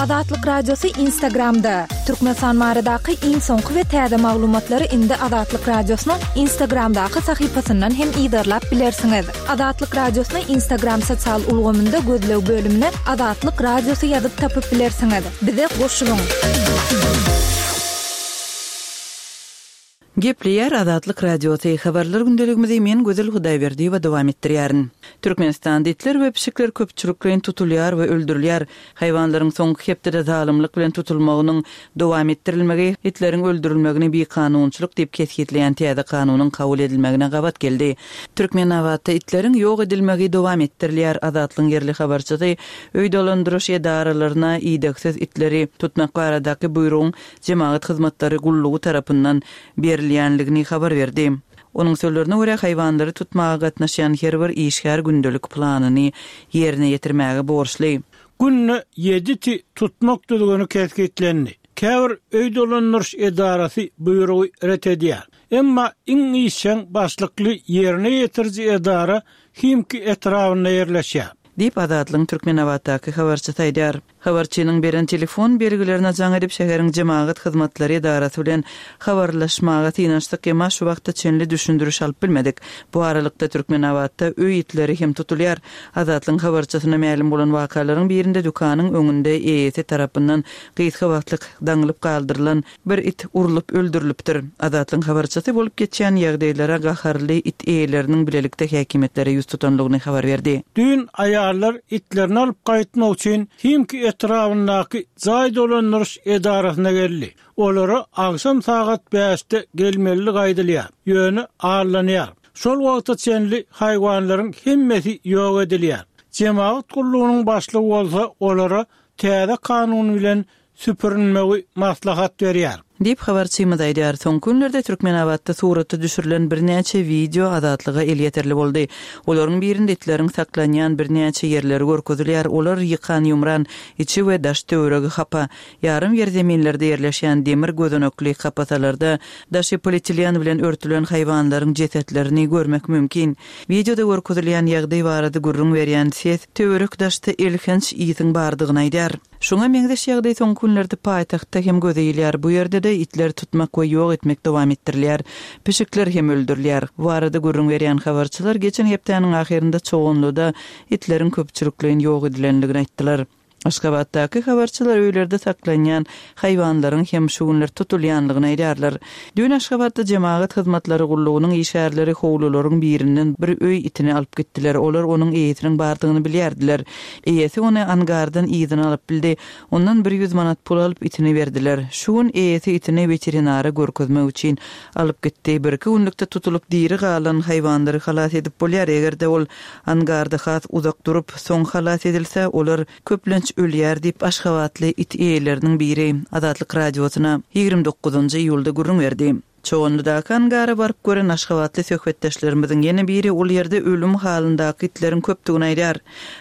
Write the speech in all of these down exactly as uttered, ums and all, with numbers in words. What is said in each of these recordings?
Azatlyk Radiosy Instagramda. Türkmenistan baradaky iň soňky we täze maglumatlary indi Azatlyk Radiosynyň Instagramdaky sahypasyndan hem yzarlap bilersiňiz. Azatlyk Radiosyny Instagram sosial ulgamynda gözleg bölümine Azatlyk Radiosy ýazyp tapyp bilersiňiz. Bize goşulyň. Gepleýär Azatlyk Radiosy. Habarlar gündeligimizi men Gözel Hudaýberdiýewa dowam etdirýärin. Türkmenistanda itler we pişikler köpçülikleýin tutulýar we öldürilýär. Haýwanlaryň soňky hepdede zalymlyk bilen tutulmagynyň dowam etdirilmegi itleriň öldürilmegini bikanunçylyk diýip kesgitleýän täze kanunyň kabul edilmegine gabat geldi. Türkmenabatda itleriň ýok edilmegi dowam etdirilýär. Azatlygyň ýerli habarçysy öý dolandyryş edaralaryna idegsiz itleri tutmak baradaky buýrugyň jemagat hyzmatlary gullugy tarapyndan berilýänligini habar berdi. Onuň sözlerine görä haýwanlary tutmaga gatnaşýan her bir işgär gündelik planyny ýerine ýetirmäge borçly. Günde ýedi iti tutmak düzgüni kesgitlendi. Käbir öý dolandyryş edarasy buýrugy ret edýär. Emma iň işjeň başlykly ýerine ýetiriji edara Himki etrabynda ýerleşýär. Diýip Azatlygyň Türkmenabatdaky habarçysy aýdýar. Habarçynyň beren telefon belgilerine jaň edip şäheriň jemagat hyzmatlary edarasy bilen habarlaşmaga synanyşdyk, emma şu wagta çenli düşündiriş alyp bilmedik. Bu aralykda Türkmenabatda öý itleri hem tutulýar. Azatlygyň habarçysyna mälim bolan wakalaryň birinde dükanyň öňünde eýesi tarapyndan gysga wagtlyk daňylyp galdyrylan bir it urlup öldürilipdir. Azatlygyň habarçysy bolup geçýän ýagdaýlara gaharly it eýeleriniň bilelikde häkimiýetlere ýüz tutanlygyny habar berdi. Düýn aýallar itlerini alyp gaýtmak üçin Himki etrabyndaky jaý dolandyryş edarasyna geldi. Olara agşam sagat bäşde gelmelidigi aýdylýar. Ýöne allanýar. Şol wagta çenli haýwanlaryň hemmesi ýok edilýär. Jemagat gullugynyň başlygy bolsa olara täze kanun bilen süpürinmegi maslahat berýär. Diýip habarçymyz aýdýar. Soňky günlerde Türkmenabatda surata düşürilen birnäçe wideo Azatlyga elýeterli boldy. Olaryň birinde itleriň saklanýan birnäçe ýerleri görkezilýär. Olar ýykan ýumran, içi we daş töweregi hapa, ýarym ýerzeminlerde ýerleşýän demir gözenekli kapasalarda daşy polietilen bilen örtülen haýwanlaryň jesetlerini görmek mümkin. Wideoda görkezilýän ýagdaý barada gürrüň berýän ses töwerek daşda elhenç ýygyň bardygyny aýdýar. Şoňa meňzeş ýagdaý soňky günlerde paýtagtda hem göze ilýär. Bu ýerde-de itler tutmak we ýok etmek dowam etdirilýär. Pişikler hem öldürilýär. Bu arada gürrüň berýän habarçylar geçen hepdäniň ahyrynda Çoganlyda itleriň köpçülikleýin ýok edilenligini aýtdylar. Aşgabatdaky habarçylar öýlerde saklanýan haýwanlaryň hem şu günler tutulýanlygyny aýdýarlar. Düýn Aşgabatda jemagat hyzmatlary gullugynyň işgärleri howlularyň birinden bir öý itini alyp gitdiler. Olar onuň eýesiniň bardygyny bilýärdiler. Eýesi ony angardan yzyna alyp bildi. Ondan bir ýüz manat pul alyp itini berdiler. Şu gün eýesi itini veterinara görkezmek üçin alyp gitdi. Bir iki günlükde tutulyp diri galan haýwanlary halas edip bolýar. Eger-de ol angarda has uzak durup, soň halas edilse, olar köplenç ölýär diýip Aşgabatly it eýeleriniň biri Azatlyk Radiosyna ýigrimi dokuzynjy iýulda gürrüň berdi. Çoganlydaky angara baryp gören Aşgabatly söhbetdeşlerimiziň ýene biri ol ýerde ölüm halyndaky itleriň köpdügini aýdýar.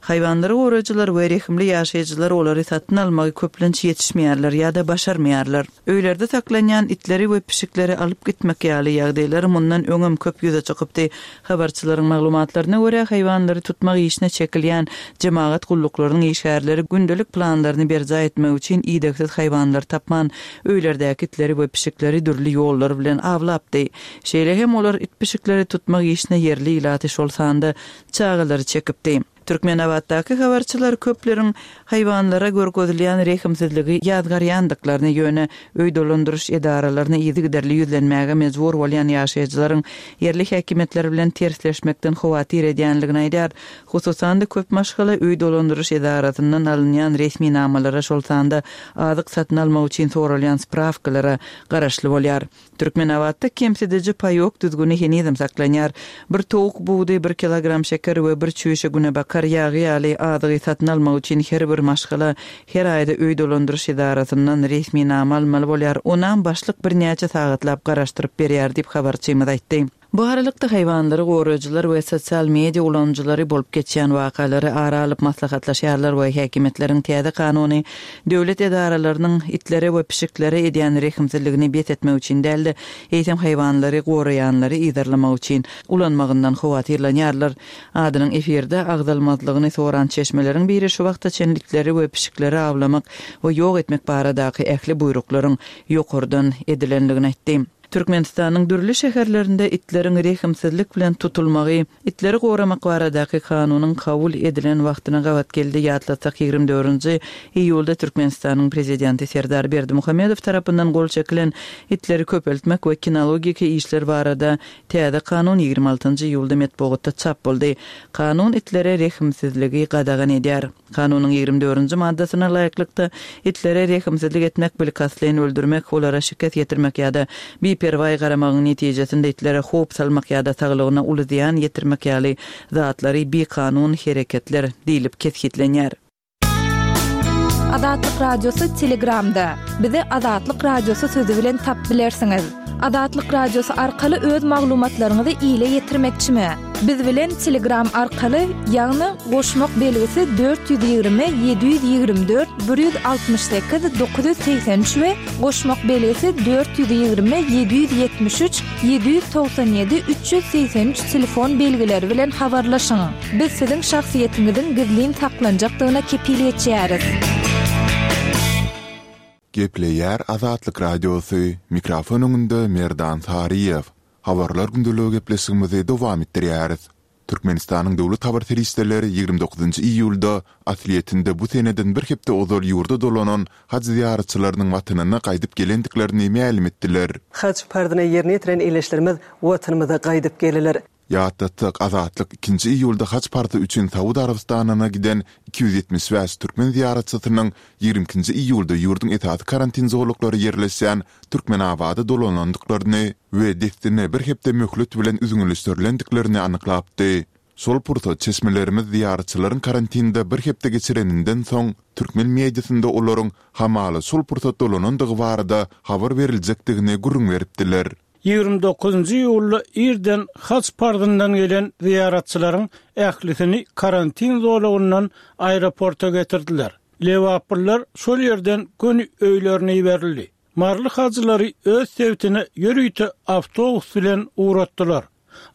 Haýwanlary goraýjylar we rehimli ýaşaýjylar olary satyn almagy köplenç ýetişmeýärler ýa-da başarmaýarlar. Öýlerde saklanýan itleri we pişikleri alyp gitmek ýaly ýagdaýlar mundan öňem köp ýüze çykypdy. Habarçylaryň maglumatlaryna görä haýwanlary tutmak işine çekilýän jemagat gulluklarynyň işgärleri gündelik planlaryny berjaý etmek üçin idegsiz haýwanlar tapman, öýlerdäki itleri we pişikleri dürli ýollar bilen awlapdy. Şeýle hem olar it pişikleri tutmak işine ýerli ilaty şol sanda çagalary çekipdi. Türkmenabatdaky habarçylar köpleriň haýwanlara görkezilýän rehimsizligi ýazgarýandyklaryny ýöne öý dolandyryş edaralaryna yzygiderli ýüzlenmäge mejbur bolýan ýaşaýjylaryň ýerli häkimiýetler bilen tersleşmekden howatyr edýänligini aýdýar. Hususan-da köp maşgala öý dolandyryş edarasyndan alynýan resminamalara şol sanda azyk satyn almak üçin soralýan spravkalara garaşly bolýar. Türkmenabatda kemsidiji paýok düzgüni henizem saklanýar. Bir towuk budy, bir kilogram şeker we bir çüýşe günebakar ýagy ýaly azygy satyn almak üçin her bir maşgala her aýda öý dolandyryş edarasyndan resminama almaly bolýar. Onam başlyk birnäçe sagatlap garaşdyryp berýär diýip habarçymyz aýtdy. Bu aralykda haýwanlary goraýjylar we sosial media ulanyjylary bolup geçýän wakalary ara alyp maslahatlaşýarlar we häkimiýetleriň täze kanuny döwlet edaralarynyň itlere we pişiklere edýän rehimsizligini bes etmek üçin däl-de, eýsem haýwanlary goraýanlary yzarlamak üçin ulanmagyndan howatyrlanýarlar. Adynyň efirde agzalmazlygyny soran çeşmeleriň biri şu wagta çenli itleri we pişikleri awlamak we ýok etmek baradaky ähli buýruklaryň ýokardan edilendigini aýtdy. Türkmenistanyň dürli şäherlerinde itleriň rehimsizlik bilen tutulmagy, itleri goramak baradaky kanunyň kabul edilen wagtyna gabat geldi. Ýatlatsak, ýigrimi dördünji iýulda Türkmenistanyň Prezidenti Serdar Berdimuhamedow tarapyndan gol çekilen itleri köpeltmek we kinologiki işler barada täze kanun ýigrimi altynjy iýulda metbugatda çap boldy. Kanun itlere rehimsizligi gadagan edýär. Kanunyň ýigrimi dördünji maddasyna laýyklykda, itlere rehimsizlik etmek, bilkastlaýyn öldürmek, olara şikes ýetirmek ýa-da biperwaý garamagyň netijesinde itlere howp salmak ýa-da saglygyna uly zyýan ýetirmek ýaly zatlary bikanun hereketler diýlip kesgitlenýär. Azatlyk Radiosy Telegramda. Bizi Azatlyk Radiosy sözi bilen tap bilersiňiz. Azatlyk Radiosy arkaly öz maglumatlaryňyzy ile ýetirmekçimi? Biz bilen Telegram arkaly, ýagny goşmak belgisi dört ýüz ýigrimi ýedi ýüz ýigrimi dört bir ýüz altmyş sekiz dokuz ýüz segsen üç we goşmak belgisi dört ýüz ýigrimi ýedi ýüz ýetmiş üç ýedi ýüz togsan ýedi üç ýüz segsen üç telefon belgileri bilen habarlaşyň. Biz siziň şahsyýetiňiziň gizlin saklanjakdygyna kepil geçýäris. Gepleýär Azatlyk Radiosy, mikrofon öňünde Merdan Saryýew. Habarlar gündeligi gepleşigimizi dowam etdirýäris. Türkmenistanyň döwlet habar serişdeleri ýigrimi dokuzynjy iýulda aslyýetinde bu seneden bir hepde ozal ýurda dolanan haj zyýaratçylarynyň watanyna gaýdyp gelendiklerini mälim etdiler. Haj parzyny ýerine ýetiren ildeşlerimiz Watanymyza gaýdyp geldiler. Ýatlatsak, Azatlyk ikinji iýulda haj parzy üçin Saud Arabystanyna giden iki ýüz ýetmiş bäş türkmen zyýaratçysynyň ýigrimi ikinji iýulda ýurduň esasy karantin zolaklary ýerleşýän Türkmenabada dolanandyklaryny we dessine bir hepde möhlet bilen üzňeleşdirilendiklerini anyklapdy. Şol pursat çeşmelerimiz zyýaratçylaryň karantinde bir hepde geçireninden soň, türkmen mediasynda olaryň hamala şol pursat dolanandygy barada habar beriljekdigini gürrüň beripdiler. Ýigrimi dokuzynjy iýulda irden haj parzyndan gelen zyýaratçylaryň ählisini karantin zolagyndan aeroporta getirdiler. Lebaplylar şol ýerden göni öýlerine iberildi. Maryly hajylary öz sebitine ýörite awtobus bilen ugratdylar.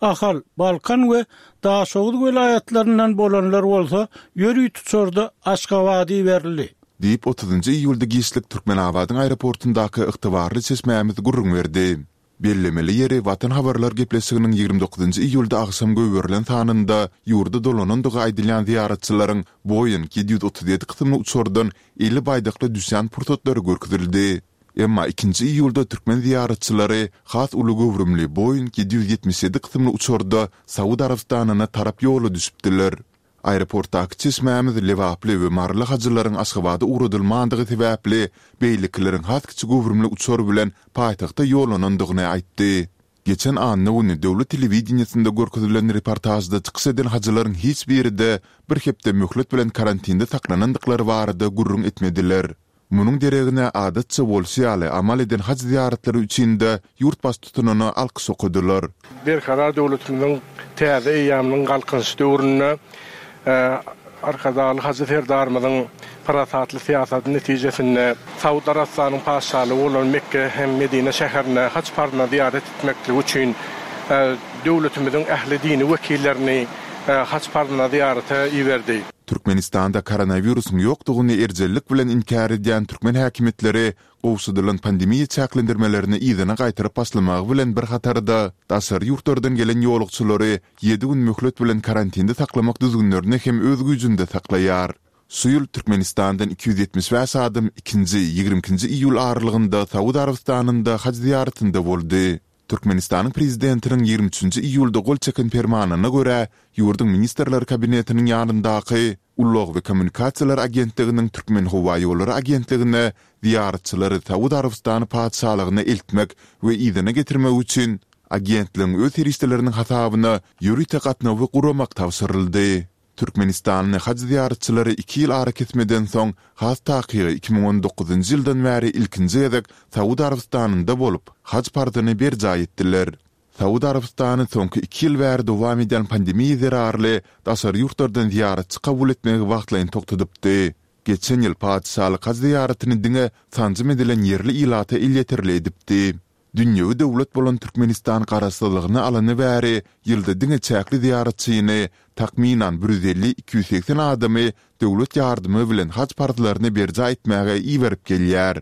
Ahal, Balkan we Daşoguz welaýatlaryndan bolanlar bolsa ýörite uçarda Aşgabada iberildi. Diýip, otuzynjy iýulda giçlik Türkmenabadyň aeroportundaky ygtybarly çeşmämiz gürrüň berdi. Bellemeli ýeri, Watan habarlar gepleşiginiň ýigrimi dokuzynjy iýulda agşam goýberilen sanynda ýurda dolanandygy aýdylýan zyýaratçylaryň Boeing ýedi ýüz otuz ýedi kysymly uçardan eli baýdakly düşýän pursatlary görkezildi. Emma ikinji iýulda türkmen zyýaratçylary has uly göwrümli Boeing ýedi ýüz ýetmiş ýedi kysymly uçarda Saud Arabystanyna tarap ýola düşüpdiler. Aeroportdaky çeşmämiz lebaply we maryly hajylaryň Aşgabada ugradylmandygy sebäpli, beýlekileriň has kiçi göwrümli uçar bilen paýtagta ýollanandygyny aýtdy. Geçen anna güni döwlet telewideniýesinde görkezilen reportažda çykyş eden hajylaryň hiç biri-de bir hepde möhlet bilen karantinde saklanandyklary barada gürrüň etmediler. Munuň deregine adatça bolşy ýaly amal eden haj zyýaratlary üçin-de ýurt baştutanyna alkyş okadylar. Berkarar döwletimiziň täze eýýamynyň Galkynyş döwründe Arkadagly Hajy Serdarymyzyň parasatly syýasaty netijesinde Saud Arabystanyň Patyşalygy bolan Mekge hem Medine şäherine haj parzyna zyýarat etmekligi üçin döwletimiziň ähli dini wekillerini haj parzyna zyýarata iberdi. Türkmenistanda koronawirusyň ýokdugyny erjellik bilen inkär edýän türkmen häkimiýetleri gowşadylan pandemiýa çäklendirmelerini yzyna gaýtaryp başlamagy bilen bir hatarda, daşary ýurtlardan gelen ýolagçylary ýedi gün möhlet bilen karantinde saklamak düzgünlerini hem öz güýjünde saklaýar. Şu ýyl Türkmenistandan iki ýüz ýetmiş bäş adam ikinji, ýigrimi ikinji iýul aralygynda Saud Arabystanynda haj zyýaratynda boldy. Türkmenistanyň Prezidentiniň ýigrimi üçünji iýulda gol çeken Permanyna görä, ýurduň Ministrler Kabinetiniň ýanyndaky Ulag we kommunikasiýalar agentliginiň Türkmenhowaýollary agentligine zyýaratçylary Saud Arabystany Patyşalygyna eltmek we yzyna getirmek üçin agentligiň öz serişdeleriniň hasabyna ýörite gatnawy guramak tabşyryldy. Türkmenistanly haj zyýaratçylary iki ýyl arakesmeden soň, has takygy iki müň on dokuzynjy ýyldan bäri ilkinji gezek Saud Arabystanynda bolup, haj parzyny berjaý etdiler. Saud Arabystany soňky iki ýyl bäri dowam edýän pandemiýa zerarly daşary ýurtlardan zyýaratçy kabul etmegi wagtlaýyn togtadypdy. Geçen ýyl patyşalyk haj zyýaratyny diňe sanjym edilen ýerli ilata elýeterli edipdi. Dünýewi döwlet bolan Türkmenistan garaşsyzlygyny alany bäri ýylda diňe çäkli zyýaratçyny, takmynan bir ýüz elli-iki ýüz segsen adamy döwlet ýardymy bilen haj parzlaryny berjaý etmäge iberip gelýär.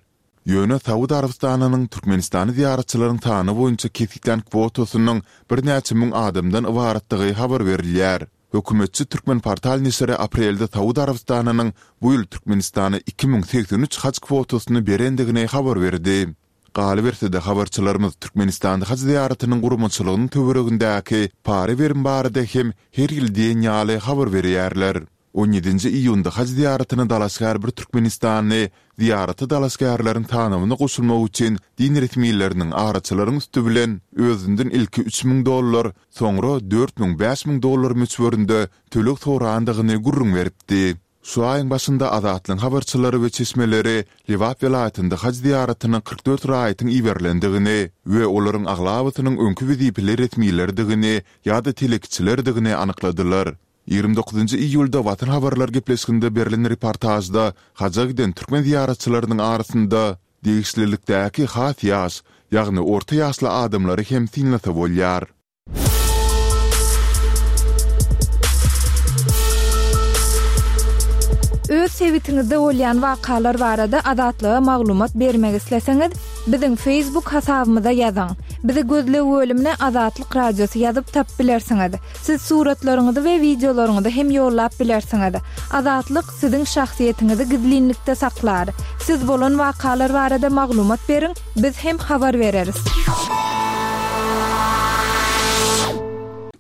Ýöne Saud Arabystanynyň Türkmenistana zyýaratçylaryň sany boýunça kesgitlän kwotasynyň birnäçe müň adamdan ybaratdygy habar berilýär. Hökümetçi Türkmenportal neşiri aprelde Saud Arabystanynyň bu ýyl Türkmenistana iki müň segsen üç haj kwotasyny berendigini habar berdi. Galyberse-de, habarçylarymyz Türkmenistanda haj zyýaratynyň guramaçylygynyň töweregindäki para-berim barada hem her ýyl diýen ýaly habar berýärler. On ýedinji iýunda haj zyýaratyna dalaşgär bir türkmenistanly zyýarata dalaşgärleriň sanawyna goşulmak üçin din resmileriniň araçylaryň üsti bilen özünden ilki üç müň dollar, soňra dört müň, bäş müň dollar möçberinde töleg sorandygyny gürrüň beripdi. Şu aýyň başynda Azatlygyň habarçylary we çeşmeleri Lebap welaýatynda haj zyýaratyna kyrk dört raýatyň iberilendigini we olaryň aglabasynyň öňki wezipeli resmilerdigini ýa-da telekeçilerdigini anykladylar. Ýigrimi dokuzynjy iýulda Watan habarlar gepleşiginde berlen reportažda haja giden türkmen zyýaratçylarynyň arasynda degişlilikdäki has ýaş, ýagny orta ýaşly adamlary hem synlasa bolýar. Öz sebitiňizde bolýan wakalar barada Azatlyga maglumat bermek isleseňiz, biziň Facebook hasabymyza ýazyň. Bizi gözleg bölümine Azatlyk Radiosy ýazyp tapyp bilersiňiz. Siz suratlaryňyzy we wideolaryňyzy hem ýollap bilersiňiz. Azatlyk siziň şahsyýetiňizi gizlinlikde saklar. Siz bolan wakalar barada maglumat beriň, biz hem habar bereris.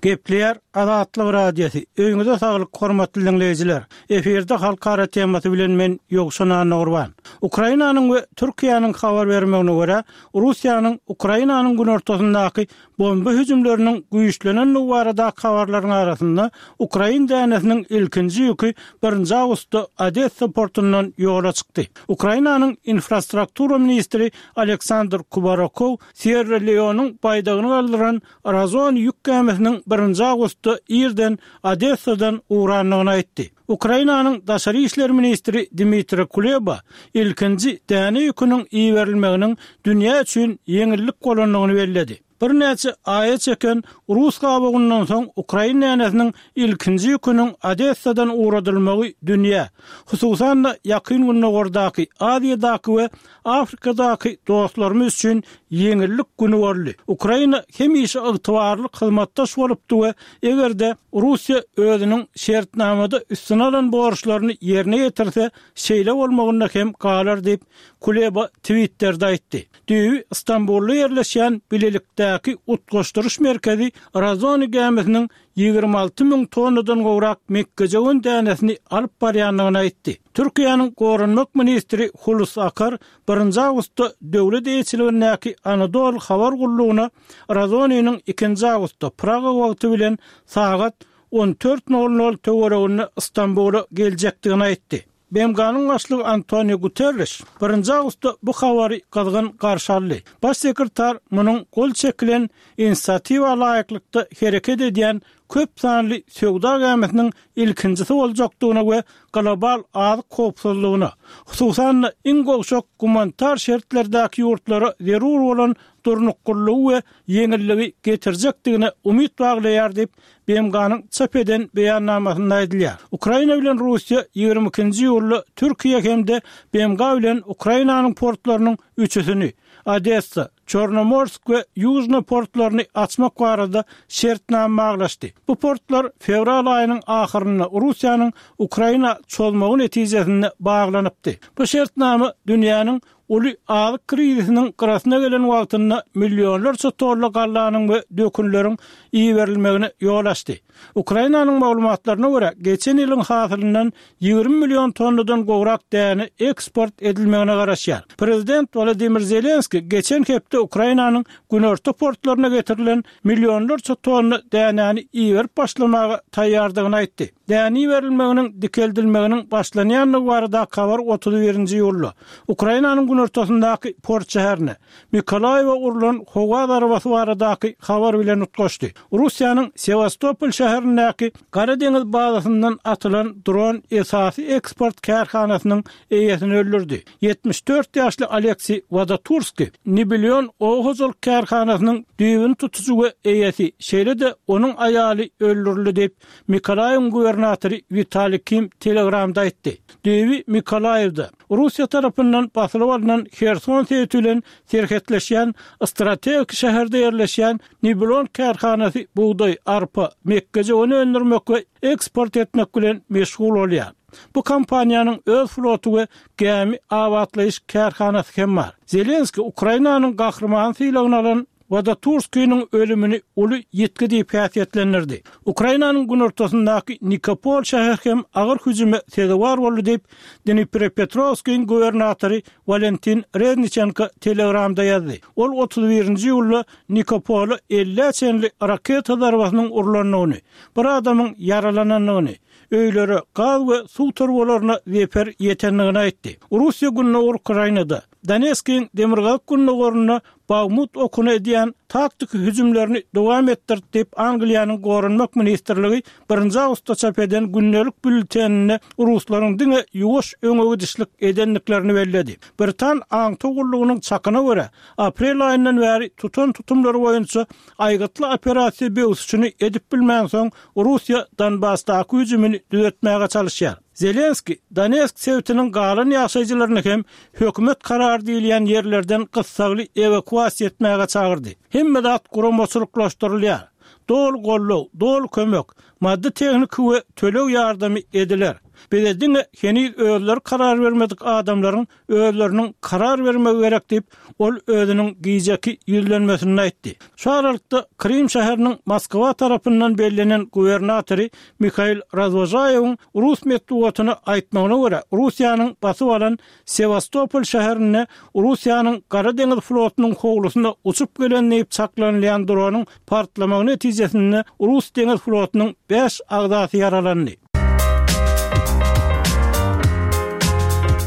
Gepleýär Azatlyk Radiosy. Öýüňize saglyk, hormatly diňleýjiler. Efirde halkara temasy bilen men Ýowşan Annagurban. Ukrainanyň we Türkiýäniň habar bermegine görä, Russiýanyň Ukrainanyň günortasyndaky Bomba hüjümleriniň güýçlenendigi baradaky habarlaryň arasynda, ukrain dänesiniň ilkinji ýüki birinji awgustda Odessa portundan ýola çykdy. Ukrainanyň infrastruktura ministri Aleksandr Kubarokow Sýerra-Leonyň baýdagyny galdyran Razon ýük gämisiniň birinji awgustda irden Odessadan ugrandygyny aýtdy. Ukrainanyň daşary işler ministri Dmitri Kuleba ilkinji däne ýüküniň iberilmeginiň dünýä üçin ýeňillik bolandygyny belledi. Birnäçe aýa çeken rus gabawyndan soň ukrain dänesiniň ilkinji ýüküniň Odessadan ugradylmagy dünýä, hususan-da, Ýakyn Gündogardaky, Aziýadaky we Afrikadaky dostlarymyz üçin ýeňillik güni boldy. Ukraina hemişe ygtybarly hyzmatdaş bolupdy we eger-de Russiýa özüniň şertnamada üstüne alan borçlaryny ýerine ýetirse, şeýle bolmagynda hem galar diýip, Kuleba Twitterde aýtdy. Düýbi Stambulda ýerleşýän Bilelikdäki utgaşdyryş merkezi Razoni gämisiniň ýigrimi alty müň tonnadan gowrak mekgejöwen dänesini alyp barýandygyny aýtdy. Türkiýäniň goranmak ministri Hulusi Akar birinji awgustda döwlet eýeçiligindäki Anadolu habar gullugyna Razoniniň ikinji awgustda Praga wagty bilen sagat on dört nol nol töwereginde Stambula geljekdigini aýtdy. B M G-nyň başlygy Antoniu Guterriş birinji awgustda bu habary gyzgyn garşy aldy. Baş sekretar munuň gol çekilen inisiatiwa laýyklykda hereket edýän köp sanly söwda gämisiniň ilkinjisi boljakdygyna we global azyk howpsuzlygyna, hususan-da, iň gowşak gumanitar şertlerdäki ýurtlara zerur bolan durnuklylygy we ýeňilligi getirjekdigine umyt baglaýar diýip, B M G-nyň çap eden beýannamasynda aýdylýar. Ukraina bilen Russiýa ýigrimi ikinji iýulda Türkiýe hem-de B M G bilen Ukrainanyň portlarynyň üçüsini, Odessa, Çornomorsk we Ýužno portlaryny açmak barada şertnama baglaşdy. Bu portlar fewral aýynyň ahyrynda Russiýanyň Ukraina çozmagy netijesinde baglanypdy. Bu şertnama dünýäniň uly azyk krizisiniň gyrasyna gelen wagtynda millionlarça tonna gallanyň we dökünleriň iberilmegine ýol açdy. Ukrainanyň maglumatlaryna görä, geçen ýylyň hasylyndan ýigrimi million tonnadan gowrak däne eksport edilmegine garaşýar. Prezident Wolodymyr Zelenskiý geçen hepde Ukrainanyň günorta portlaryna getirilen millionlarça tonna dänäni iberip başlamaga taýýardygyny aýtdy. Däne iberilmeginiň dikeldilmeginiň başlanýandygy baradaky habar otuz birinji iýulda Ukrainanyň günortasyndaky port şäherine, Mykolaýiwe urlan howa zarbasy baradaky habar bilen utgaşdy. Russiýanyň Sewastopol şäherindäki Gara deňiz bazasyndan atylan dron esasy eksport kärhanasynyň eýesini öldürdi. Ýetmiş dört ýaşly Aleksiý Wadoturskiý Nibilion oba hojalyk kärhanasynyň düýbüni tutujy we eýesi, şeýle-de onuň aýaly öldürildi diýip, Mykolaýiwiň gubernatory Witaliý Kim Telegramda aýtdy. Düýbi Mykolaýiwde, Russiýa tarapyndan basylyp alnan Herson sebiti bilen serhetleşýän strategik şäherde ýerleşýän Nibilon kärhanasy bugdaý, arpa, mekgejöwen öndürmek we eksport etmek bilen meşgul bolýar. Bu kompaniýanyň öz floty we gämi abatlaýyş kärhanasy hem bar. Zelenskiý Ukrainanyň Gahrymany sylagyny alan Wadoturskiniň ölümini uly ýitgi diýip häsiýetlendirdi. Ukrainanyň günortasyndaky Nikopol şäheri hem agyr hüjüme sezewar boldy diýip, Dniprepetrowskiň gubernatory Walentin Rezniçenko Telegramda ýazdy. Ol otuz birinji iýulda Nikopola ellä çenli raketa zarbasynyň urlandygyny, bir adamyň ýaralanandygyny, öýlere, gaz we suw turbalaryna zeper ýetendigini aýtdy. Russiýa gündogar Ukrainada, Donetskiň demirgazyk-gündogarynda Bagmut okuna edýän taktiki hüjümlerini dowam etdirdi diýip, Angliýanyň Goranmak ministrligi birinji awgustda çap eden gündelik býulleteninde ruslaryň diňe ýuwaş öňe gidişlik edendiklerini belledi. Britan aňtaw gullugynyň çakyna görä, aprel aýyndan bäri tutan tutumlary boýunça aýgytly operasiýa böwsüşini edip bilmänsoň, Russiýa Donbasdaky hüjümini düzetmäge çalyşýar. Zelenskiý Donetsk sebitiniň galan ýaşaýjylaryny hem hökümet karary diýilýän ýerlerden gyssagly ewakuasiýa etmäge çagyrdy. Hemme zat guramaçylyklaşdyrylýar. Doly goldaw, doly kömek, maddy-tehniki we töleg ýardamy ediler. Bize diňe heniz özleri karar bermedik adamlaryň özleriniň karar bermegi gerek diýip, ol özüniň gijeki ýüzlenmesinde aýtdy. Şu aralykda, Krym şäheriniň Moskwa tarapyndan bellenen gubernatory Mihail Razwožaýewiň rus metbugatyna aýtmagyna görä, Russiýanyň basyp alan Sewastopol şäherinde Russiýanyň Gara deňiz flotunyň howlusyna uçup gelen diýip çaklanylýan dronyň partlamagy netijesinde rus deňiz flotunyň bäş agzasy ýaralandy.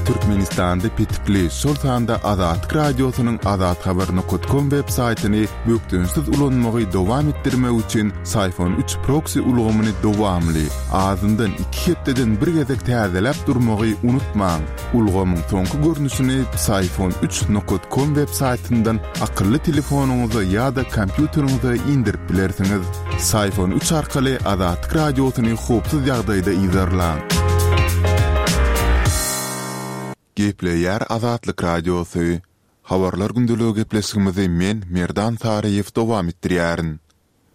Türkmenistanda petikli, şol sanda Azatlyk Radiosynyň azathabar nokat kom web saýtyny bökdençsiz ulanmagy dowam etdirmek üçin Syfon üç proksi ulgamyny dowamly, azyndan iki hepdeden bir gezek täzeläp durmagy unutmaň. Ulgamyň soňky görnüşini Psiphon üç nokat kom web saýtyndan akylly telefonyňyza ýa-da kompýuteriňize indirip bilersiňiz. Psiphon üç arkaly Azatlyk Radiosyny howpsuz ýagdaýda yzarlaň. Gepleýär Azatlyk Radiosy. Habarlar gündeligi gepleşigimizi men, Merdan Saryýew dowam etdirýärin.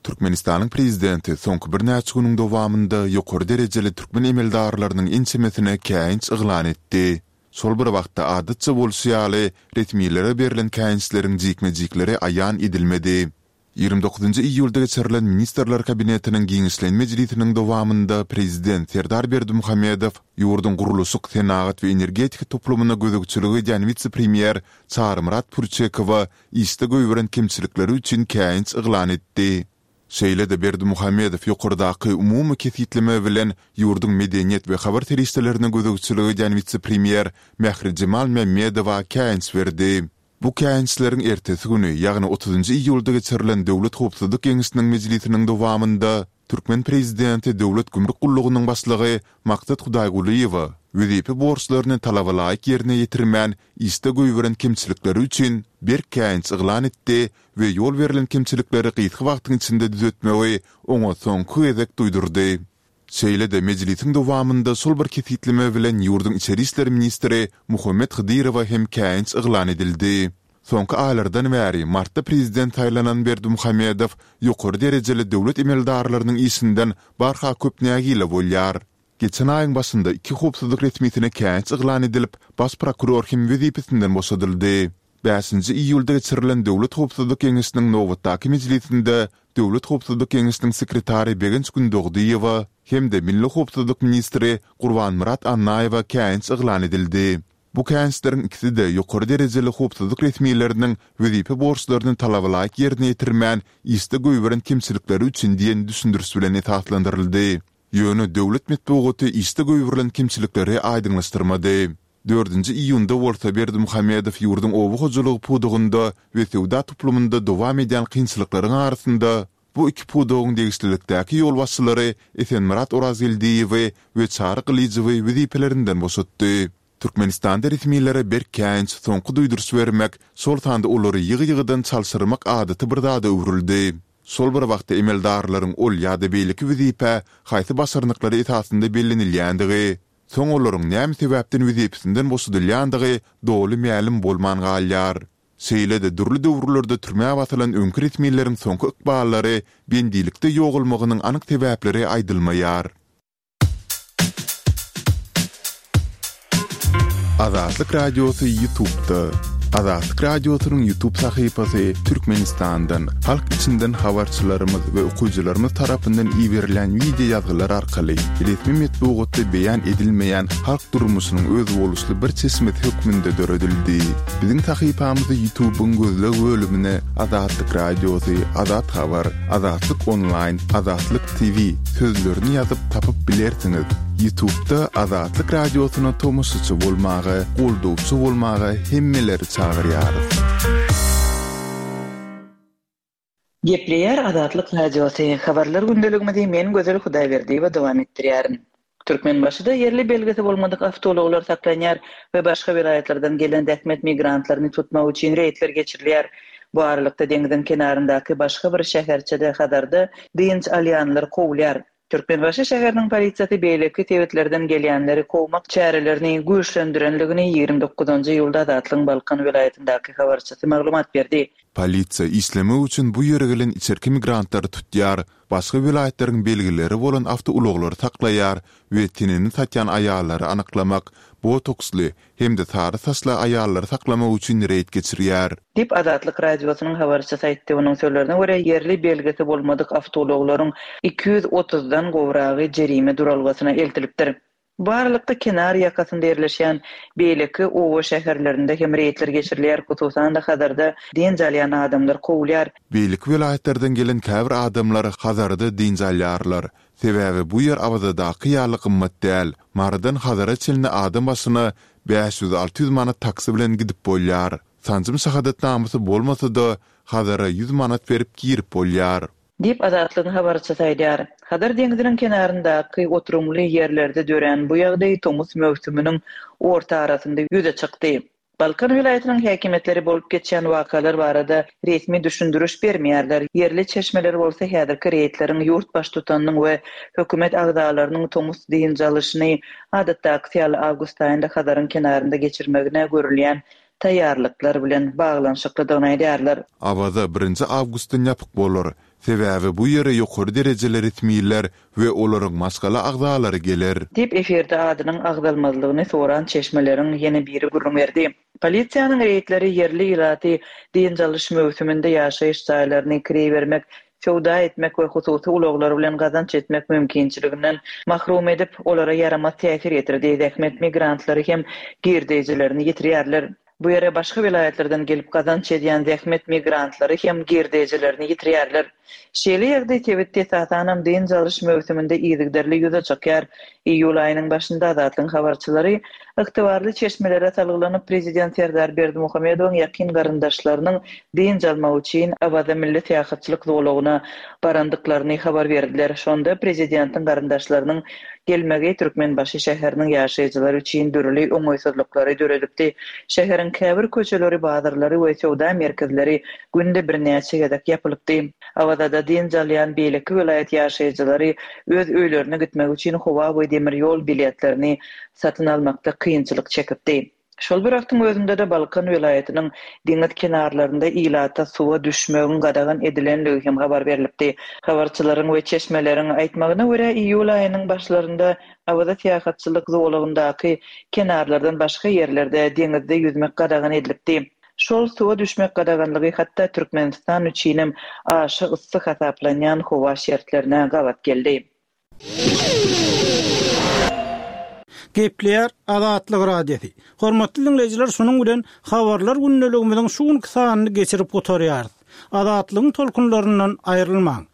Türkmenistanyň prezidenti soňky birnäçe günüň dowamynda ýokary derejeli türkmen emeldarlarynyň ençemesine käýinç yglan etdi. Şol bir wagtda, adatça bolşy ýaly, resmilere berlen käýinçleriň jikme-jikleri aýan edilmedi. Ýigrimi dokuzynjy iýulda geçirilen Ministrler Kabinetiniň giňişleýin mejlisiniň dowamynda prezident Serdar Berdimuhamedow ýurduň gurluşyk, senagat we energetika toplumyna gözegçilik edýän wise-premýer Çarymyrat Pürçekowa işde goýberen kemçilikleri üçin käýinç yglan etdi. Şeýle-de Berdimuhamedow ýokardaky umumy kesgitleme bilen ýurduň medeniýet we habar serişdelerine gözegçilik edýän wise-premýer Mährijemal Mämmedowa käýinç berdi. Bu käýinçleriň ertesi güni, ýagny otuzynjy iýulda geçirilen Döwlet howpsuzlyk geňeşiniň mejlisiniň dowamynda türkmen prezidenti Döwlet gümrük gullugynyň başlygy Maksat Hudaýgulyýewe wezipe borçlaryny talabalaýyk ýerine ýetirmän işde goýberen kemçilikleri üçin berk käýinç yglan etdi we ýol berlen kemçilikleri gysga wagtyň içinde düzetmegi oňa soňky gezek duýdurdy. Şeýle-de mejlisiň dowamynda şol bir kesgitleme bilen ýurduň içeri işler ministri Muhammet Hydyrowa hem käýinç yglan edildi. Soňky aýlardan bäri martda prezident saýlanan Berdimuhamedow ýokary derejeli döwlet emeldarlarynyň işinden barha köp nägile bolýar. Geçen aýyň başynda iki howpsuzlyk resmisine käýinç yglan edilip, baş prokuror hem wezipesinden boşadyldy. Bäşinji iýulda geçirilen Döwlet howpsuzlyk geňeşiniň nobatdaky mejlisinde Döwlet howpsuzlyk geňeşiniň sekretary Begenç Gündogdyýewa hem-de milli howpsuzlyk ministri Gurbanmyrat Annaýewa käýinç yglan edildi. Bu käýinçleriň ikisi-de ýokary derejeli howpsuzlyk resmileriniň wezipe borçlaryny talabalaýyk ýerine ýetirmän, işde goýberen kemçilikleri üçin diýen düşündiriş bilen esaslandyryldy. Ýöne döwlet metbugaty işde goýberilen kemçilikleri aýdyňlaşdyrmady. Dördünji iýunda bolsa Berdimuhamedow ýurduň oba hojalygy pudagynda we söwda toplumynda dowam edýän kynçylyklaryň arasynda bu iki pudagyň degişlilikdäki ýolbaşçylary Esenmyrat Orazgeldiýewi we Çary Gylyjowy wezipelerinden boşatdy. Türkmenistanda resmilere berk käýinç, soňky duýduryş bermek, şol sanda olary ýygy-ýygydan çalşyrmak adaty bir zada öwrüldi. Şol bir wagtda emeldarlaryň ol ýa-da beýleki wezipä haýsy başarnyklary esasynda bellenilýändigi, soň olaryň näme sebäpden wezipesinden boşadylýandygy doly mälim bolman galýar. Şeýle-de dürli döwürlerde türmä basylan öňki resmileriň soňky ykballary, bendilikde ýogalmagynyň anyk sebäpleri aýdylmaýar. Azatlyk Radiosy Ýutubda. Azatlyk Radiosynyň Ýutub sahypasy Türkmenistandan, halk içinden habarçylarymyz we okyjylarymyz tarapyndan iberilýän wideo ýazgylar arkaly resmi metbugatda beýan edilmeýän halk durmuşynyň özboluşly bir çeşmesi hökmünde döredildi. Biziň sahypamyzy Ýutubyň gözleg bölümine Azatlyk Radiosy, Azat Habar, Azatlyk Onlaýn, Azatlyk TV sözlerini ýazyp tapyp bilersiňiz. Ýutubda Azatlyk Radiosyna tomaşaçy bolmaga, goldawçy bolmaga hemmeleri çagyrýarys. Gepleýär Azatlyk Radiosy, Habarlar gündeligimizi men Gözel Hudaýberdiýewa dowam etdirýärin. Türkmenbaşyda ýerli belgisi bolmadyk awtoulaglar saklanýar we başga welaýatlardan gelen zähmet migrantlaryny tutmak üçin reýdler geçirilýär. Bu aralykda deňziň kenaryndaky başga bir şäherçede Hazarda dynç alýanlar kowulýar. Türkmenbaşy şäheriniň polisiýasy beýleki sebitlerden gelýänleri kowmak çärelerini güýçlendirenligini ýigrimi dokuzynjy iýulda Azatlygyň Balkan welaýatyndaky habarçysy maglumat berdi. Polisiýa işlemek üçin bu ýere gelen içerki migrantlary tutýar, başga welaýatlaryň belgileri bolan awtoulaglary saklaýar we tenini satýan aýallary anyklamak, botoksly hem-de sary saçly aýallary saklamak üçin reýd geçirýär. Diýip, Azatlyk Radiosynyň habarçysy aýtdy. Onuň sözlerine görä, ýerli belgisi bolmadyk awtoulaglaryň iki ýüz otuzdan gowragy jerime duralgasyna eltilipdir. Bu aralykda, kenar ýakasynda ýerleşýän beýleki oba-şäherlerinde hem reýdler geçirilýär, hususan-da, Hazarda dynç alýan adamlar kowulýar. Beýleki welaýatlardan gelen käbir adamlar Hazarda dynç alýarlar. Sebäbi bu ýer Awazadaky ýaly gymmat däl. Marydan Hazara çenli adam başyna bäş ýüz-alty ýüz manat taksi bilen gidip bolýar. Sanjym şahadatnamasy bolmasa-da, Hazara ýüz manat berip girip bolýar. Diýip, Azatlygyň habarçysy aýdýar. Hazar deňziniň kenaryndaky oturymly ýerlerde dörän bu ýagdaý tomus möwsüminiň orta arasynda ýüze çykdy. Balkan welaýatynyň häkimiýetleri bolup geçýän wakalar barada resmi düşündiriş bermeýärler, ýerli çeşmeler bolsa häzirki reýdleriň ýurt baştutanynyň we hökümet agzalarynyň tomus dynç alyşyny adatdakysy ýaly awgust aýynda Hazaryň kenarynda geçirmegine görülýän taýýarlyklar bilen baglanyşyklydygyny aýdýarlar. Awaza birinji awgustdan ýapyk bolar. Sebäbi bu ýere ýokary derejeli resmiler we olaryň maşgala agzalary geler. Diýip, efirde adynyň agzalmazlygyny soran çeşmeleriň ýene biri gürrüň berdi. Polisiýanyň reýdleri ýerli ilaty dynç alyş möwsüminde ýaşaýyş jaýlaryny kireý bermek, söwda etmek we hususy ulaglar bilen gazanç etmek mümkinçiliginden mahrum edip, olara ýaramaz täsir ýetirdi, zähmet migrantlary hem girdeýjilerini ýitirýärler. Bu ýere başga welaýatlardan gelip gazanç edýän zähmet migrantlary hem girdejilerini ýitirýärler. Şeýle ýagdaý sebitde esasanam dynç alyş möwsüminde yzygiderli ýüze çykýar. Iýul aýynyň başynda Azatlygyň habarçylary ygtybarly çeşmelere salgylanyp, prezident Serdar Berdimuhamedowyň ýakyn garyndaşlarynyň dynç almak üçin Awaza milli syýahatçylyk zolagyna barandyklaryny habar berdiler. Şonda prezidentiň garyndaşlarynyň gelmegi Türkmenbaşy şäheriniň ýaşaýjylary üçin dürli oňaýsyzlyklary döredipdi. Şäheriň käbir köçeleri, bazarlary we söwda merkezleri günde birnäçe gezek ýapylypdy. Awazada dynç alýan beýleki welaýat ýaşaýjylary öz öýlerine gitmek üçin howa we demir ýol biletlerini satyn almakda kynçylyk çekipdi. Şol bir wagtyň özünde-de Balkan welaýatynyň deňiz kenarlarynda ilata suwa düşmegiň gadagan edilenligi hem habar berlipdi. Habarçylaryň we çeşmeleriň aýtmagyna görä, iýul aýynyň başlarynda Awaza syýahatçylyk zolagyndaky kenarlardan başga ýerlerde deňizde ýüzmek gadagan edilipdi. Şol suwa düşmek gadaganlygy hatda Türkmenistan üçinem aşa yssy hasaplanýan howa şertlerine gabat geldi. Gepleýär Azatlyk Radiosy. Hormatly diňleýjiler, şunuň bilen Habarlar gündeligimiziň şu günki sanyny geçirip gutarýarys. Azatlygyň tolkunlaryndan aýrylmaň.